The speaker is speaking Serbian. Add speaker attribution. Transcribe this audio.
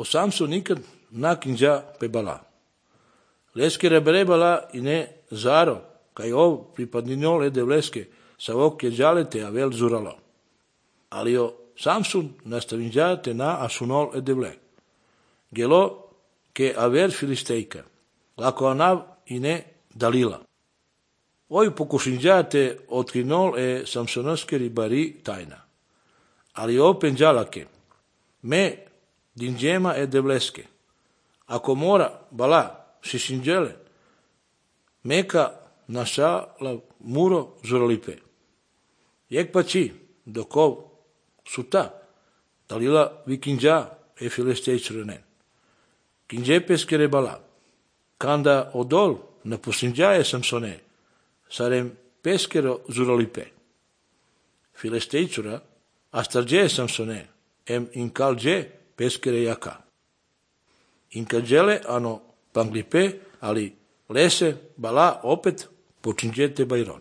Speaker 1: o Samson nikad nakinja pe bala. Leske rebere bala i ne zaro, kaj ov pripadninol ede vleske, sa vokje džalete a vel zuralo. Ali o Samson nastavinjate na asunol ede vle. Gelo ke aver filistejka, lako anav i ne dalila. Oj pokušinjate otkrinol Samsonoske ribari tajna. Ali open džalake, me dinđema ede vleske. Ako mora bala šišinđele, meka našala muro zuralipe. Jek pa či, dokov suta, dalila vikinđa filistejčrene. Kinđe peskere bala. Kanda odol na posinđaje Samsone, sarem peskero zuralipe. Filistejčura, astarđe Samsone, inkalđe peskere jaka. Inkalđele ano panglipe, ali lese bala opet počinđete bajron.